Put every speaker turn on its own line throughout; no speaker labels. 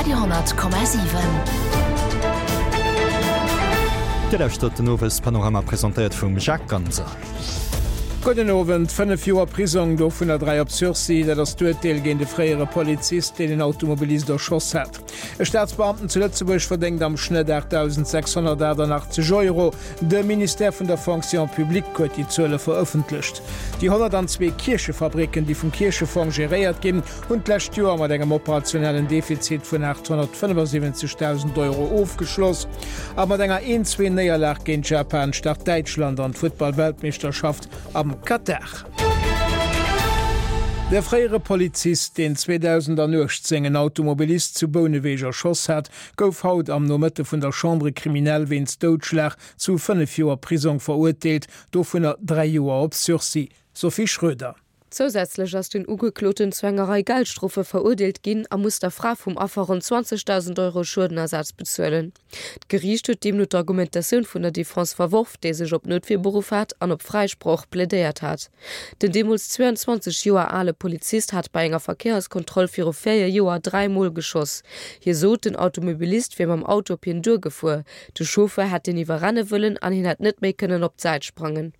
Radio 10,7.
Dir lauschtert den Owespanorama, presentéiert vum Jacques Ganser.
Gudden Owend. 5 Joer Prisong, dovunner 3 op Sursis, dat ass d'Urteel géint e fréiere Polizist, deen en Automobilist erschoss hat. E Staatsbeamten zu Lëtzebuerg verdéngt am Schnëtt 8.688 Euro. De Ministère vun der Fonction publique huet déi Zuele verëffentlecht. Déi 102 Kierchefabricken, déi vum Kierchefong geréiert ginn, hunn d'lescht Joer mat engem operationellen Defizit vun 875.000 Euro ofgeschloss. A mat enger Een-Zwee-Néierlag géint Japan start Däitschland an d'Futtball-Weltmeeschterschaft am Katar. De fréiere Polizist, deen 2018 en Automobilist zu Bouneweg erschoss hat, gouf haut am Nomëtte vun der Chambre criminelle wéinst Doudschlag zu 5 Joer Prisong verurteelt, dovunner 3 Joer op Sursis. Sophie Schröder.
Zousätzlech ass den Ugekloten zu enger Rei Geldstrofe verurdeelt ginn a muss der Fra vum Affer ronn 20.000 Euro Schuedenersaz bezuelen. D'Geriicht huet deemno d'Argumentatioun vun der Defense verworf, déi sech op Noutwier beruff hat an op Fräisproch plädéiert hat. Den deemools 22 Joer ale Polizist hat bei enger Verkéierskontroll viru 4 Joer 3 Mol geschoss. Hie sot, den Automobilist wier mam Auto op hien duergefuer, de Chauffeur hätt hien iwwerrenne wëllen an hien hätt net méi kënnen op d'Säit sprangen.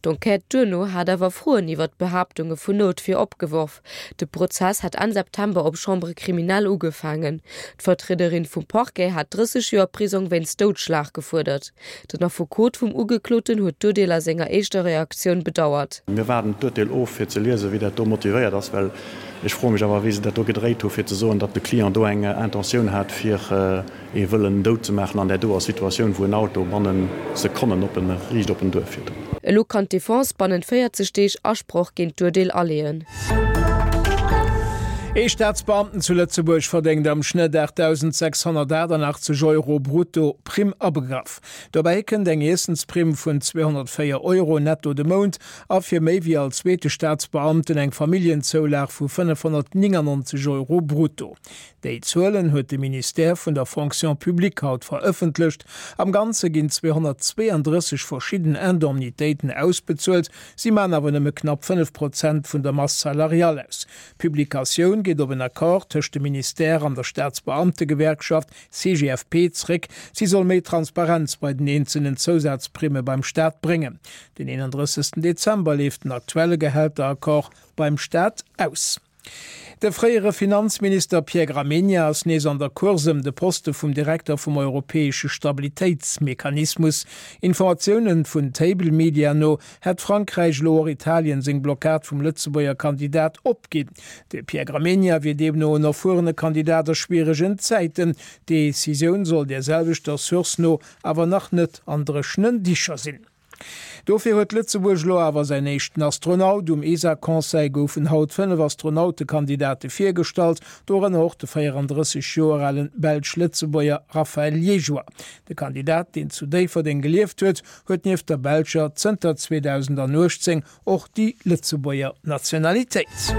D'Enquête duerno hat awer Froen iwwer d'Behaaptunge vun Noutwier opgeworf. De Prozess hat Enn September op Chambre criminelle ugefaangen. D'Vertriederin vum Parquet hat 30 Joer Prisong wéinst Doudschlag gefuerdert. Den Affekot vum Ugekloten huet d'Urteel a senger éischter Reaktioun bedauert.
Mir waarden d'Urteel of, fir ze liesen, wéi dat do motivéiert ass, well ech froe mech awer, wéi se dat do gedréit hu fir ze soen, datt de Client do eng Intentioun hat, fir ee wëllen dout ze maachen an där doer Situatioun, wou en Auto bannen Sekonnen op en riicht op en duerfiert.
Elo kann d'Defense bannent 40 Deeg Asproch géint d'Urteel aleeën.
Ee Staatsbeamten zu Lëtzebuerg verdéngt am Schnëtt 8.688 Euro brutto, Primm abegraff. Dobäi kënnt eng Iessensprimm vun 204 Euro netto de Mount a fir méi wéi all zweete Staatsbeamten eng Familljenзoulag vu 599 Euro brutto. Déi Zuelen huet de Ministère vun der Fonction publique haut verëffentlecht. Am Ganze ginn 232 verschidden Indemnitéiten ausbezuelt, si man awer nëmme knapp 5 Prozent vun der Masse salariale aus. D'Publikatioun geet op en Accord tëscht dem Ministère an der Staatsbeamtegewerkschaft CGFP zréck. Si soll méi Transparenz bei den eenzelnen Zousazprimme beim Staat bréngen. Den 31 Dezember leeft den aktuelle Gehälteraccord beim Staat aus. De fréiere Finanzminister Pierre Gramegna ass nees an der Course ëm de Poste vum Direkter vum europäesche Stabilitéitsmechanismus. Informatioune vun Table Media no hätt Frankräich elo och Italien seng Blockad vum Lëtzebuerger Kandidat opginn. De Pierre Gramegna wier deemno en erfuerene Kandidat a schwieregen Zäiten. D'Decisioun soll där selwechter Source no awer nach net an dréchenen Dicher sinn. Dofir huet Lëtzebuerg elo awer säin éischten Astronaut. Um ESA-Conseil goufen haut 5 Astronautekandidate virgestallt, dorënner och de 34 Joer alen Belsch-Lëtzebuerger Raphaël Liégeois. De Kandidat, deen zu Déifferdeng gelieft huet, huet nieft der belscher zënter 2018 Och déi Lëtzebuerger Nationalitéit.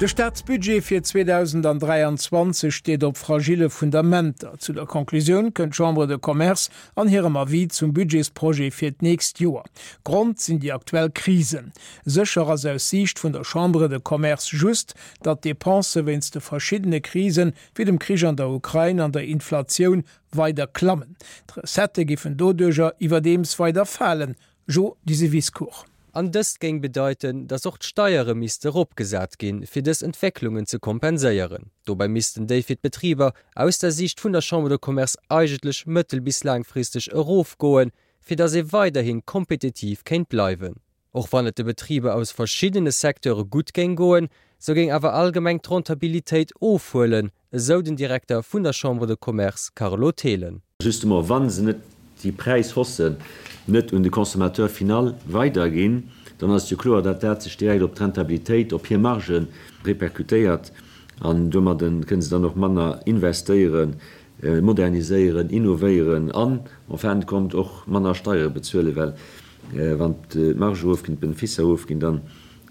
De Staatsbudget fir 2023 steet op fragille Fundamenter. Zu der Conclusioun kënnt d'Chambre de Commerce an hirem Avis zum Budgetsprojet fir d'nächst Joer. Grond sinn déi aktuell Krisen. Sécher ass aus Siicht vun der Chambre de Commerce just, datt d'Depensë wéinst de verschiddene Krisen, wéi dem Krich an der Ukrain an der Inflatioun, weider klammen. D'Recettë géifen doduercher iwwerdeems weider falen, Jo Diseviscourt.
An dëst géing bedeiten, datt och d'Steiere misste eropgesat ginn, fir dës Entwécklungen ze kompenséieren. Dobäi missten déi fir d'Betriber aus der Siicht vun der Chambre de Commerce eigentlech mëttel bis laangfristeg erofgoen, fir datt ee weiderhi kompetitiv kéint bleiwen. Och wann et de Betriber aus verschiddene Secteure gutt géing goen, sou géing awer allgemeng d'Rentabilitéit ofhuelen, esou den Direkter vun der Chambre de Commerce Carlo Thelen.
Justement, wa se net déi Präishaussen net un de Consommateur final weiderginn, dann ass et jo kloer, datt dat sech direkt op d'Rentabilitéit, op hir Marge repercutéiert an domadde kënne se dann och manner investéieren, moderniséieren, innovéieren an en fin de compte och manner Steiere bezuelen, well wann d'Marge erofginn, d'Benefisser erofginn, dann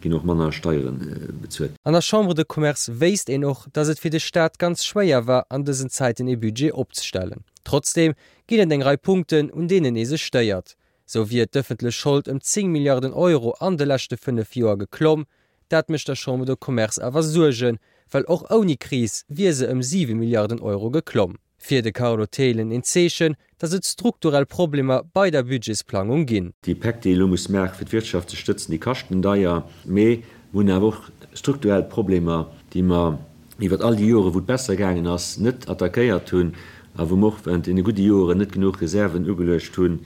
ginn och manner Steiere bezuelt.
An der Chambre de Commerce wéisst een och, datt et fir de Staat ganz schwéier war, an dësen Zäiten ee Budget opzestellen. Trotzdeem ginn et eng Rei Punkten, un deenen ee sech stéiert. Sou wier d'ëffentlech Schold ëm 10 Milliarden Euro an de leschte 5 Joer geklomm. Dat mécht der Chambre de Commerce awer Suergen, Well och ouni Kris wier se ëm 7 Milliarden Euro geklomm. Fir de Carlo Thelen een Zeechen, datt et strukturell Problemer bei der Budgetsplangung ginn.
Déi Päck, déi ee elo muss maachen, fir d'Wirtschaft ze stëtzen, déi kaschten deier. Mee mer hunn awer och strukturell Problemer, déi mer iwwert all déi Joren, wou et besser gaangen ass, net attackéiert hunn a wou mer och während deene gudde Joren net genuch Reserven ugeluecht hunn,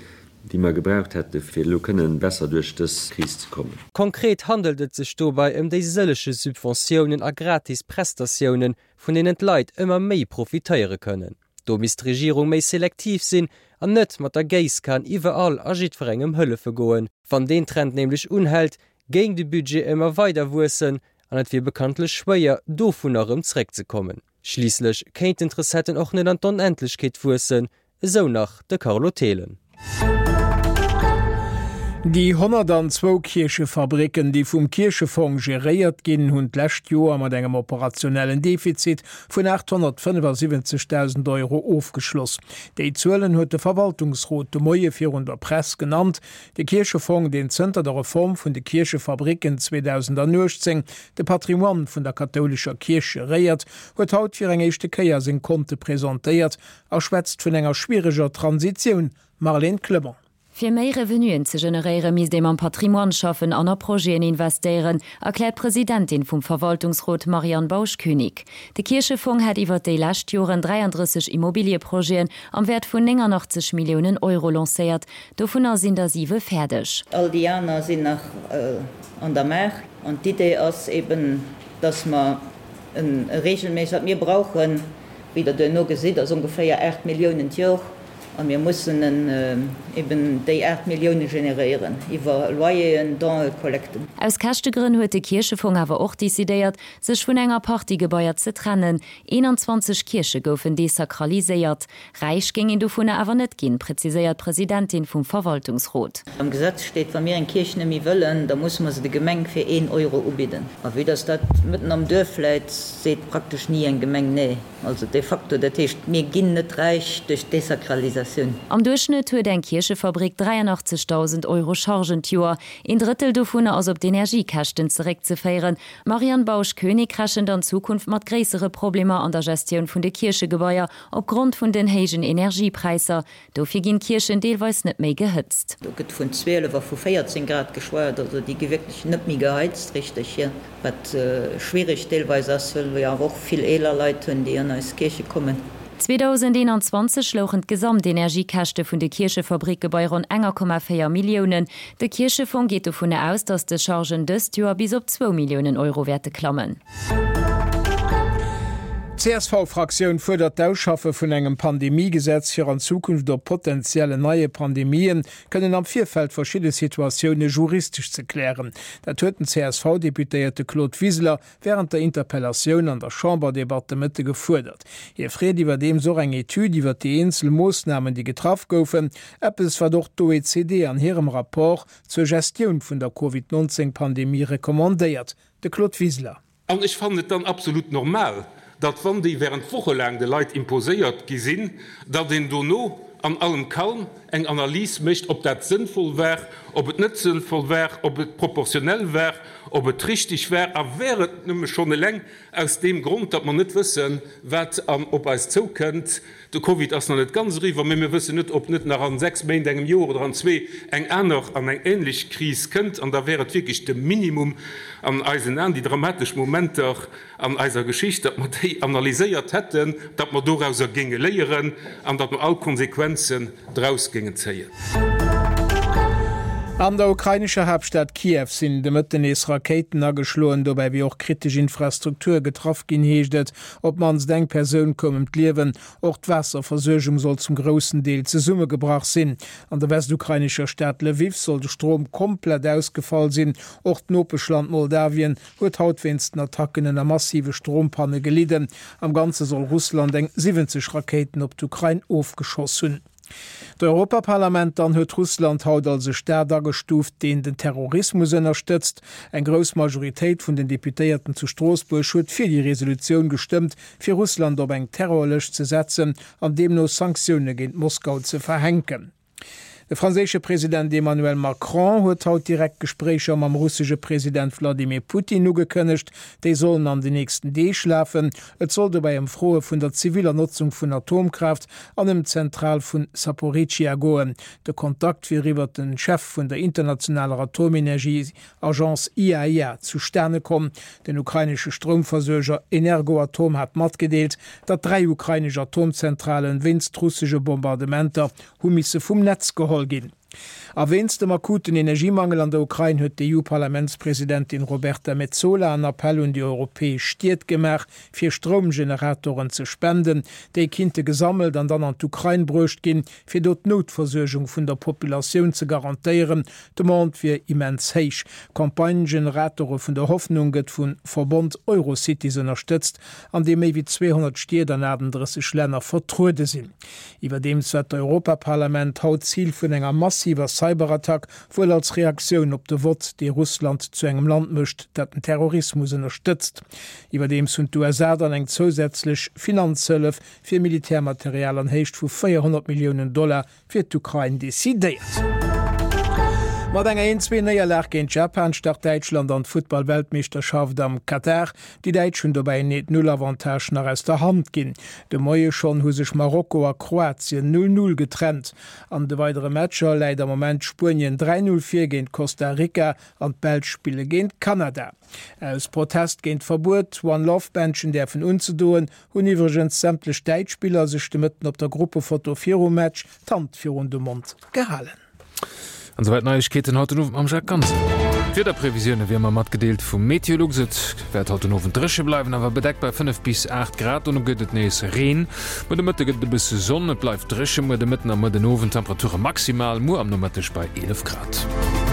déi mer gebraucht hätte fir elo kënnen besser duerch dës Kris ze kommen.
Konkret handelt et sech dobäi ëm déi sëllege Subventiounen a gratis Prestatiounen, vun deenen d'Leit ëmmer méi profitéiere kënnen. Do misst d'Regierung méi selektiv sinn an net mat der Géisskan iwwerall a jiddwerengem hëllefe goen. Wann deen Trend nämlech unhält, géing de Budget ëmmer weider wuessen an et wier bekanntlech schwéier, dovunner erëm zréckzekommen. Schliisslech kéinten d'Recetten och net an d'Onendlechkeet wuessen, Esou nach de Carlo Thelen.
Déi 102 Kierchefabricken, déi vum Kierchefong geréiert ginn, hunn d'lescht Joer mat engem operationellen Defizit vun 875.000 Euro ofgeschloss. Déi Zuelen huet de Verwaltungsrot de Moie virun der Press genannt. De Kierchefong, deen zënter der Reform vun de Kierchefabricken 2018 de Patrimoine vun der kathoulescher Kierch geréiert, huet haut fir eng éischte Kéier seng Konte presentéiert a schwätzt vun enger schwiereger Transitioun, Marlène Clement.
Fir méi Revenuen ze generéiere misst ee mam Patrimoine schaffen an a Projeten investéieren, erkläert d'Presidentin vum Verwaltungsrot Marianne Bausch-Koenig. De Kierchefong hätt iwwert déi lescht Joren 33 Immobilieprojeten am Wäert vun 89 Milliounen Euro lancéiert. Dovunner sinn der siwe fäerdeg.
All déi aner sinn nach an der Maach. An d'Idee ass eben, dass mer e regelméisseg, wat mir brauchen, Wéi Der duerno gesitt, ass ongeféier 8 Milliounen d'Jor a mir mussen eben déi 8 Millioune generéieren iwwer Loyeren, Donen, Kollekten.
Aus Käschtegrënn huet de Kierchefong awer och decidéiert, sech vun enger Partie Gebaier ze trennen. 21 Kierche goufen desakraliséiert. Räich géing een dovunner awer net ginn, präziséiert d'Presidentin vum Verwaltungsrot.
Am Gesetz steet, wa mir eng Kierch net méi wëllen, da musse mer se de Gemeng fir een Euro ubidden. A vue dass dat mëtten am Duerf läit, seet praktesch ni eng Gemeng nee. Also de facto, dat heescht, mir ginn net räich duerch d'Desakralisatioun.
Am Duerchschnëtt huet eng Kierchefabrik 83.000 Euro Chargen d'Joer. Een Drëttel dovunner ass op d'Energiekäschten zeréckzeféieren. D'Marianne Bausch-Koenig rechent an Zukunft mat gréissere Problemer an der Gestioun vun de Kierchegebaier Opgrond vun den héijen Energiepräisser. Dofir ginn d'Kierchen deelweis net méi gehëtzt.
Do gëtt vun 12 a vu 14 Grad geschwat. Also déi gi wierklech net méi geheizt richteg hier, wat schwiereg deelweis ass, well mir awer och vill eeler Leit hunn, déi an eis Kierche kommen.
2021 louchen d'Gesamtenergiekäschte vun de Kierchefabricke bei ronn 1,4 Milliounen. De Kierchefong geet dovun aus, datt des Chargen dëst Joer bis op zwou Milliounen Euro wäerte klammen.
D'CSV-Fraktioun fuerdert d'Ausschaffe vun engem Pandemiegesetz, fir an Zukunft op potenziellen neie Pandemien kënnen am Virfeld verschidde Situatioune juristesch ze klären. Dat huet den CSV-Deputéierte Claude Wiseler wärend der Interpellatioun an der Chamberdebatt de Mëtte gefuerdert. Hie freet iwwerdeems och eng Etüd iwwer déi eenzel Moossnamen, déi getraff goufen, eppes wat och d'OECD an hirem Rapport zur Gestioun vun der Covid 19 Pandemie recommandéiert. De Claude Wiseler.
An ech fannen et dann absolut normal, datt, wann déi während wochelaang de Leit imposéiert gi sinn, datt een dono an allem Calme eng Analys mécht, ob dat sënnvoll war, ob et net sënnvoll war, ob et proportionell war, ob et richtig war a wär et nëmme schonn eleng aus deem Grond, datt mer net wëssen, wat an op eis zoukënnt. De Covid ass nach net ganz eriwwer, mä mir wëssen net, ob net nach a 6 Méint, engem Joer oder an zwee eng aner an eng ähnlech Kris kënnt. An da wär et wierklech de Minimum an eisen Aen, déi dramatesch Momenter an eiser Geschicht, datt mer déi analyséiert hätten, datt mer dorauser géinge léieren an datt mer all Konsequenzen draus géingen zéien.
An der ukrainescher Haaptstad Kiew sinn de Mëtten nees Rakéiten ageschloen. Dobäi wier och kritesch Infrastruktur getraff ginn, heescht et. Op d'mannst eng Persoun koum ëm d'Liewen. Och d'Waasserversuergung soll zum groussen Deel zesummegebrach sinn. An der westukrainescher Stad Lwiw soll de Strom komplett ausgefall sinn. Och d'Nopeschland Moldawien huet haut wéinst den Attacken ënner massive Strompanne gelidden. Am Ganze soll Russland eng 70 Rakéiten op d'Ukrain ofgeschoss hunn. D'Europaparlament dann huet Russland haut als e Staat agestuuft, deen den Terrorismus ënnerstëtzt. Eng grouss Majoritéit vun den Deputéierten zu Stroossbuerg huet fir déi Resolutioun gestëmmt, fir Russland op eng Terrorlëscht ze setzen an deemno Sanktioune géint Moskau ze verhänken. De franséische President Emmanuel Macron huet haut direkt Gespréicher mam russesche President Wladimir Putin ugekënnegt. Déi sollen an den nächsten Deeg lafen. Et soll dobäi ëm Froe vun der ziviller Notzung vun Atomkraaft an ëm d'Zentral vun Saporizhia goen. De Kontakt wier iwwert de Chef vun der internationaler Atomenergie-Agence IAEA zustane komm. Den ukrainesche Stroumversuerger Energoatom hat matgedeelt, datt 3 ukrainesch Atomzentralen wéinst russesche Bombardementer hu misse vum Netz geholl ginn. A wéinst dem akuten Energiemangel an der Ukrain huet d'EU-Parlamentspresidentin Roberta Metsola en Appell un déi europäesch Stied gemaach, fir Stroumgeneratoren ze spenden. Déi kinnte gesammelt an dann an d'Ukrain bruecht ginn, fir do d'Noutversuergung vun der Populatioun ze garantéieren. D'Demande wier immens héich. D'Campagne Generatore vun der Hoffnung gëtt vum Verbond Eurocities ënnerstëtzt, an deem méi wéi 200 Stied an 38 Länner vertruede sinn. Iwwerdeems war d'Europaparlament haut Zil vun enger massiver Cyberattack, wuel als Reaktioun op de Vott, dee Russland zu engem Land mécht, dat den Terrorismus ënnerstëtzt. Iwwerdeems hunn d'USA dann eng zousätzlech Finanzhëllef fir Militärmaterial an Héicht vu 400 Milliounen Dollar fir d'Ukrain decidéiert. Mat enger 1, 2 Néierlag géint Japan start Däitschland an d'Futtball-Weltmeeschterschaft am Katar. Déi Däitsch hunn dobäi en 1, 0 Avantage nach aus der Hand ginn. De Moie schonn hu sech Marokko a Kroatien 0, 0 getrennt. An de weidere Matcher läit am Moment Spuenien 3, 0 vir géint Costa Rica an d'Belsch spille géint Kanada. Aus Protest géint d'Verbuet, One Love Bändchen däerfen unzedoen, Hunn iwwregens sämtlech däitsch Spiller sech de Mëtten op der Gruppefoto virum Match d'Hand virun de Mond gehalen.
An esouwäit d'Neiegkeeten haut den Owend mam Jacques Ganser. D'Wiederprevisioune wéi ëmmer matgedeelt vum Meteolux. Et wäert haut den Owend dréche bleiwen, awer bedeckt bei 5 bis 8 Grad. Dono gëtt et nees Reen. Muer de Mëtte gëtt et e bësse Sonn, et bleift dréche muer de Mëtten a muer den Owend. Temperature maximal muer am Nomëtteg bei 11 Grad.